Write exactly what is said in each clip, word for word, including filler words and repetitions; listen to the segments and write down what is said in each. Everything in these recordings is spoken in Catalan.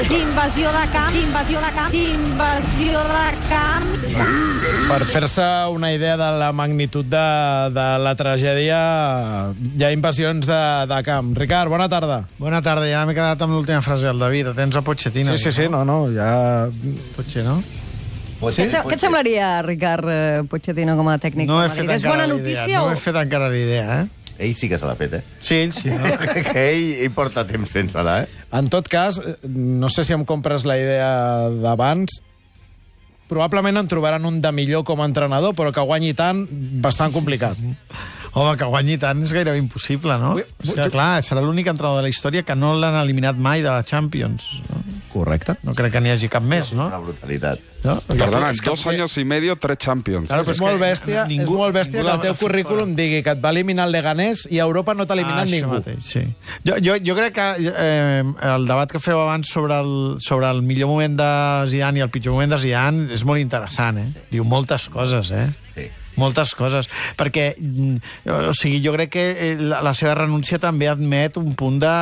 Invasió de camp, invasió de camp, invasió de camp. Per fer-se una idea de la magnitud de, de la tragèdia, hi ha invasions de, de camp. Ricard, bona tarda. Bona tarda, ja m'he quedat amb l'última frase del David. Tens a Pochettino. Sí, sí, sí, no, no, ja... Potser, no? Sí? Què, què et semblaria, Ricard Pochettino, com a tècnic? No he fet és bona encara notícia l'idea. o... No he fet encara l'idea, eh? Ell sí que se l'ha fet, eh? Sí, ell sí. No? que ell, ell porta temps fent-se-la, eh? En tot cas, no sé si em compres la idea d'abans, probablement en trobaran un de millor com a entrenador, però que guanyi tant, bastant complicat. Home, que guanyi tant és gairebé impossible, no? Ui, O sigui, clar, serà l'únic entrenador de la història que no l'han eliminat mai de la Champions. No? Correcte. No crec que n'hi hagi cap més, no? Una brutalitat. no? Perdona, en dos años y medio, tres Champions. Claro, és, molt bèstia, ningú- és molt bèstia ningú que el teu la- currículum digui que et va eliminar el Leganés i a Europa no t'ha eliminat ah, ningú. Mateix, sí. jo, jo, jo crec que eh, el debat que feu abans sobre el, sobre el millor moment de Zidane i el pitjor moment de Zidane és molt interessant, eh? Diu moltes coses, eh? Sí. Moltes coses, perquè o sigui, jo crec que la, la seva renúncia també admet un punt de,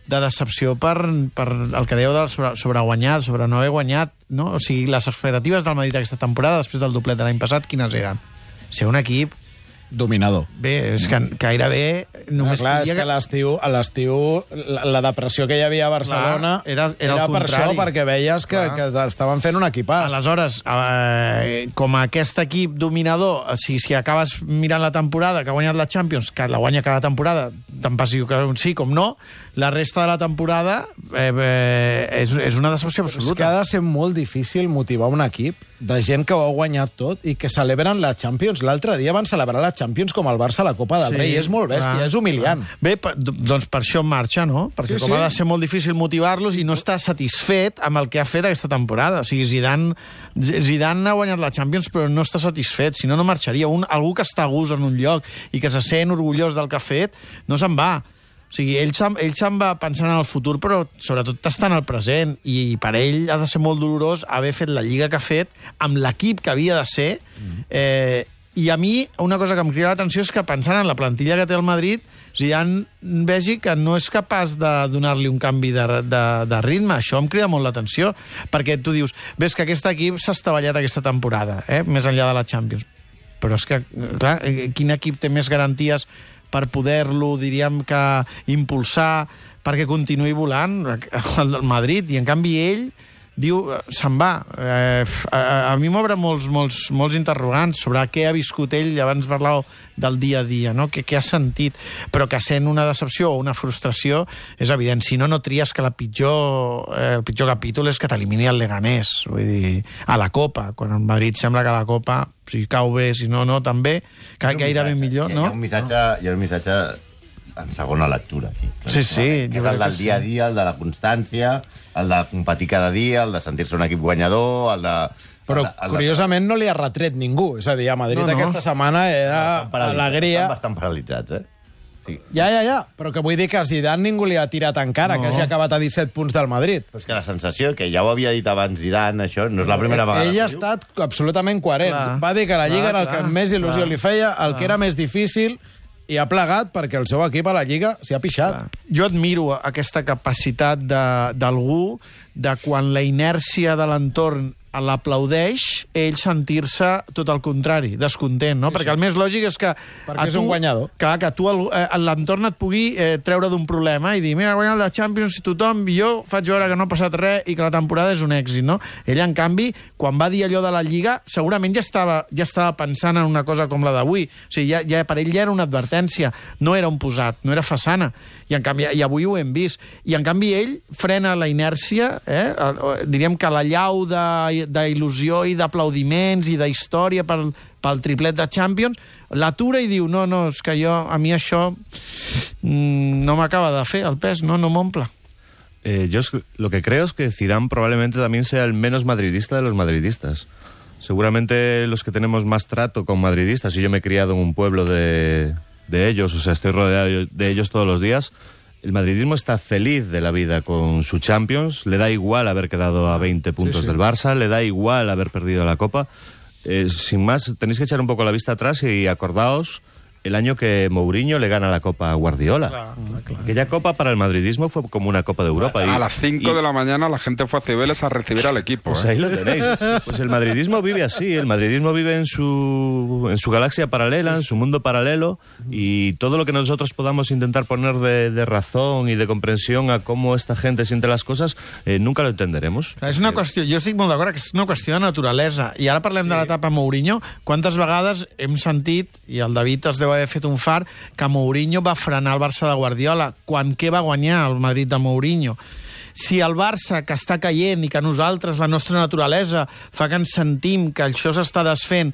de decepció per, per el que dèieu del sobre, sobre guanyat, sobre no haver guanyat, no? O sigui, les expectatives del Madrid aquesta temporada, després del doblet de l'any passat, quines eren? Ser un equip Dominador. bé, és que gairebé només Clar, és podia- que a l'estiu, a l'estiu la, la depressió que hi havia a Barcelona Clar, era- era el per això, contrari. perquè veies que, Clar. que estaven fent un equipàs. Aleshores, eh, com aquest equip dominador, o sigui, si acabes mirant la temporada, que ha guanyat la Champions, que la guanya cada temporada, tant passi que un sí com no, la resta de la temporada eh, eh, és, és una decepció És que absoluta. ha de ser molt difícil motivar un equip de gent que ho ha guanyat tot i que celebren la Champions. L'altre dia van celebrar la Champions com el Barça a la Copa del Sí, Rei. És molt bèstia, clar, és humiliant. clar. Bé, per, doncs per això en marxa, no? Perquè Sí, com sí. ha de ser molt difícil motivar-los i no està satisfet amb el que ha fet aquesta temporada. O sigui, Zidane, Zidane ha guanyat la Champions però no està satisfet, si no, no marxaria. Un, algú que està a gust en un lloc i que se sent orgullós del que ha fet, no se'n va. O sigui, ell se'n, ell se'n va pensant en el futur, però sobretot està en el present, i per ell ha de ser molt dolorós haver fet la lliga que ha fet amb l'equip que havia de ser. Eh, I a mi, una cosa que em crida l'atenció és que pensant en la plantilla que té el Madrid, Zidane vegi que no és capaç de donar-li un canvi de, de, de ritme. Això em crida molt l'atenció, perquè tu dius, ves que aquest equip s'ha estavellat aquesta temporada, eh, més enllà de la Champions. Però és que, clar, quin equip té més garanties per poder-lo, diríem que, impulsar perquè continuï volant el Madrid, i en canvi ell diu, se'n va. Eh, a, a mi m'obre molts, molts, molts interrogants sobre què ha viscut ell, abans parlàveu del dia a dia, no? Què, què ha sentit, però que sent una decepció o una frustració és evident. Si no, no tries que la pitjor, eh, el pitjor capítol és que t'elimini el Leganés, vull dir, a la Copa, quan el Madrid sembla que la Copa, si cau bé, si no, no, també, que gairebé millor, hi ha, no? Hi ha un missatge, hi ha un missatge en segona lectura, aquí. Sí, sí, Que jo és el crec del que dia a sí. dia, el de la constància, el de competir cada dia, el de sentir-se un equip guanyador, el de... Però, el de, el de... curiosament, no li ha retret ningú. És a dir, a Madrid No, no. aquesta setmana era Estan paralitzats, alegria. Estan bastant paralitzats, eh? Sí. Ja, ja, ja. Però que vull dir que a Zidane ningú li ha tirat encara, No. que hagi acabat a disset punts del Madrid. Però és que la sensació, que ja ho havia dit abans Zidane, això, no és la primera vegada. Ell ha que diu. estat absolutament coherent. Clar. Va dir que la Lliga Clar, era el que clar, més il·lusió clar, li feia, el clar. que era més difícil, i ha plegat perquè el seu equip a la Lliga s'hi ha pixat. Jo admiro aquesta capacitat de- d'algú de quan la inèrcia de l'entorn l'aplaudeix, ell sentir-se tot el contrari, descontent, no? Sí, Perquè sí. el més lògic és que... Perquè a és un guanyador. Clar, que tu el- eh, l'entorn et pugui eh, treure d'un problema i dir, mira, ha guanyat la Champions i tothom, i jo faig veure que no ha passat res i que la temporada és un èxit, no? Ell, en canvi, quan va dir allò de la Lliga, segurament ja estava, ja estava pensant en una cosa com la d'avui. O sigui, ja, ja, per ell ja era una advertència, no era un posat, no era façana. I, en canvi, i avui ho hem vist. I, en canvi, ell frena la inèrcia, eh? El- diríem que la llau de- d'il·lusió i d'aplaudiments i d'història pel, pel triplet de Champions, l'atura i diu, no, no, és que jo, a mi això mm, no m'acaba de fer el pes, no, no m'omple. Eh, yo es- lo que creo es que Zidane probablemente también sea el menos madridista de los madridistas. Seguramente los que tenemos más trato con madridistas, y yo me he criado en un pueblo de, de ellos, o sea, estoy rodeado de ellos todos los días, el madridismo está feliz de la vida con su Champions, le da igual haber quedado a veinte puntos sí, sí. del Barça, le da igual haber perdido la Copa. Eh, sin más, tenéis que echar un poco la vista atrás y acordaos el año que Mourinho le gana la Copa a Guardiola. Claro, claro. Aquella Copa para el madridismo fue como una Copa de Europa. Y, A las cinco y- de la mañana la gente fue a Cibeles a recibir al equipo. Pues ¿eh? ahí lo tenéis. Pues el madridismo vive así, el madridismo vive en su, en su galaxia paralela, en su mundo paralelo, y todo lo que nosotros podamos intentar poner de, de razón y de comprensión a cómo esta gente siente las cosas, eh, nunca lo entenderemos. És una qüestió, jo estic molt d'acord que és una qüestió de naturalesa. I ara parlem sí. de l'etapa Mourinho. Quantes vegades hem sentit, i el David es deu haver fet un far, que Mourinho va frenar el Barça de Guardiola. Quan què va guanyar el Madrid de Mourinho? Si el Barça, que està caient i que nosaltres, la nostra naturalesa, fa que ens sentim que això s'està desfent,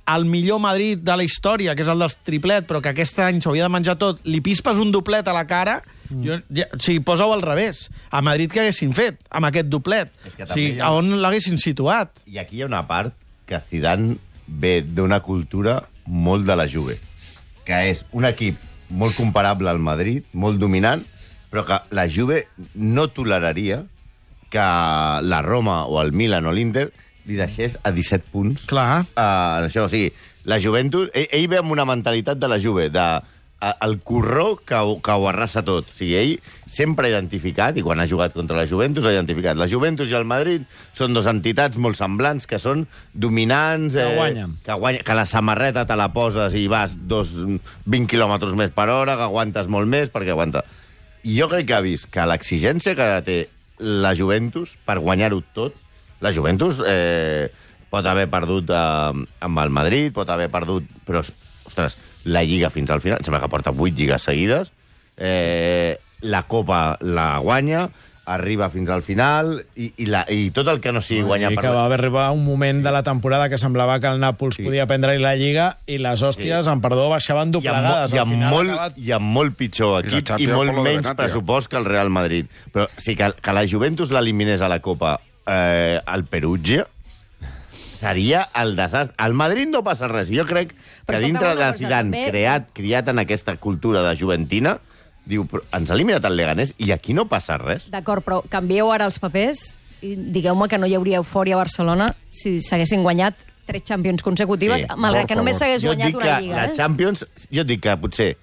el millor Madrid de la història, que és el del triplet, però que aquest any s'hauria de menjar tot, li pispes un doblet a la cara, mm. jo, ja, o sigui, posa-ho al revés. A Madrid què haguessin fet amb aquest doblet? És que O sigui, també hi ha- a on l'haguessin situat? I aquí hi ha una part que Zidane ve d'una cultura molt de la Juve, que és un equip molt comparable al Madrid, molt dominant, però que la Juve no toleraria que la Roma o el Milan o l'Inter li deixés a disset punts. Clar. Uh, això, o sigui, la Juventus... Ell, ell ve amb una mentalitat de la Juve, de a, el corró que, ho- que ho arrasa tot. O sigui, ell sempre ha identificat, i quan ha jugat contra la Juventus, ha identificat. La Juventus i el Madrid són dos entitats molt semblants, que són dominants... Que guanyen. Que, guanya, que la samarreta te la poses i vas dos, vint quilòmetres més per hora, que aguantes molt més, perquè aguanta... I jo crec que ha vist que l'exigència que té la Juventus per guanyar-ho tot, la Juventus eh, pot haver perdut eh, amb el Madrid, pot haver perdut... Però, ostres, la Lliga fins al final, sembla que porta vuit lligues seguides, eh, la Copa la guanya, arriba fins al final, i, i, la, i tot el que no sigui guanyar... I que va arribar un moment de la temporada que semblava que el Nàpols sí. podia prendre la Lliga i les hòsties, sí. en perdó, baixaven I amb, doblegades. i, Al amb final molt, acabat... I amb molt pitjor I la equip i, Champions molt por lo de menys Benatia. pressupost que el Real Madrid. Però sí que, que la Juventus l'eliminés a la Copa eh, al Perugia seria el desastre. Al Madrid no passa res. Jo crec que Però dintre escolteu una de cosa, Zidane, també- creat, criat en aquesta cultura de juventina, diu, però ens ha eliminat el Leganés i aquí no passa res. D'acord, però canvieu ara els papers i digueu-me que no hi hauria eufòria a Barcelona si s'haguessin guanyat tres Champions consecutives, Sí, malgrat por que només favor. s'hagués Jo et guanyat dic una que Lliga. La Eh? Champions, jo et dic que potser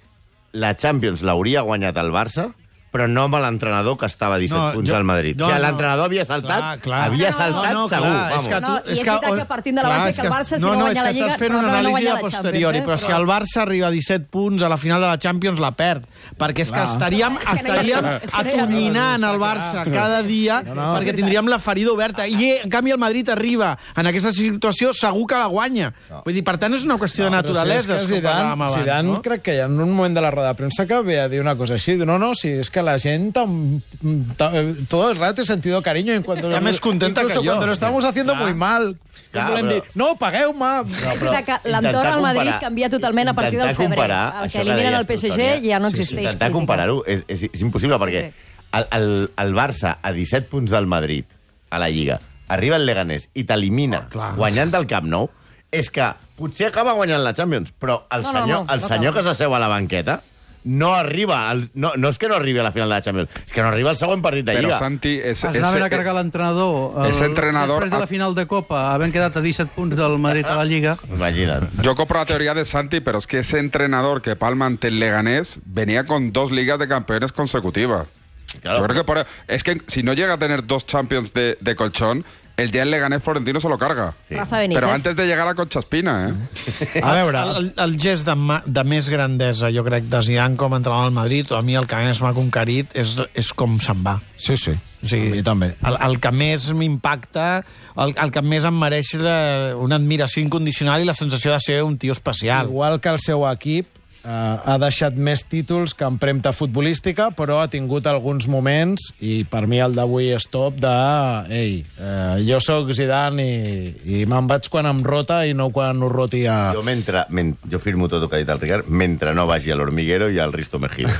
la Champions l'hauria guanyat el Barça, però no amb l'entrenador que estava a disset No, punts jo- al Madrid. no, o sigui, no. l'entrenador havia saltat, Clar, clar. havia No, no, saltat no, no, segur. clar, és vamos. que tu- No, i és veritat que partint de la base és que el Barça, si no, no no, guanya és la que Lliga, estàs fent no- una no- no anàlisi guanya a la posteriori, Champions, eh? però si Però- el Barça arriba a disset punts a la final de la Champions, la perd. Perquè és que estaríem, És que no hi ha- estaríem és que no hi ha- atonyinant el Barça cada dia perquè tindríem la ferida oberta. I, en canvi, el Madrid arriba en aquesta situació, segur que la guanya. Vull dir, per tant, és una qüestió de naturalesa. Però si és que Zidane, Zidane no? crec que en un moment de la roda de premsa que ve a dir una cosa així. No, no, si és que la gent tam, tam, todo el rato he sentido cariño en cuanto Està més contenta incluso que jo. cuando lo estamos haciendo Clar. muy mal. Clar, Volem però- dir, no, pagueu-me. No, És però veritat que l'entorn intentar al Madrid comparar- canvia totalment a partir del intentar febrer. comparar El això que eliminen deies el P S tu, G Sònia, ja no sí, sí, existeix. Intentar crítica. comparar-ho és, és, és impossible, perquè Sí. el, el, el Barça, a disset punts del Madrid, a la Lliga, arriba el Leganés i t'elimina clar. guanyant el Camp Nou, és que potser acaba guanyant la Champions, però el No, no, senyor, no, el no senyor acaba. que s'asseu a la banqueta no arriba, al, no, no és que no arribi a la final de la Champions, és que no arriba al següent partit de Pero Lliga. Santi, es, Es anaven a cargar l'entrenador el- ese entrenador després de la ha- final de Copa, havent quedat a disset punts del Madrid a la Lliga. Imagina't. Yo compro la teoría de Santi, pero es que ese entrenador que palma ante el Leganés venía con dos ligas de campeones consecutivas. Claro. Yo creo que por, es que si no llega a tener dos Champions de, de colchón, el día del Leganés Florentino se lo carga. Sí. Rafa Benítez. Pero antes de llegar a Concha Espina, ¿eh? A veure, El, el, el gest de, ma, de més grandesa, jo crec, de Zidane com a entrenador del Madrid, o a mi el que més m'ha conquerit és, és com se'n va. sí, sí. O sigui, A mi també. El, el que més m'impacta, el, el que més em mereix la, una admiració incondicional i la sensació de ser un tio especial. Igual que el seu equip, eh, ha deixat més títols que empremta futbolística, però ha tingut alguns moments, i per mi el d'avui és top, de ei, eh, jo sóc Zidane i, i me'n vaig quan em rota i no quan ho roti a... Jo, mentre, men, jo firmo tot el que ha dit el Ricard, mentre no vagi a l'Hormiguero i al Risto Mejía.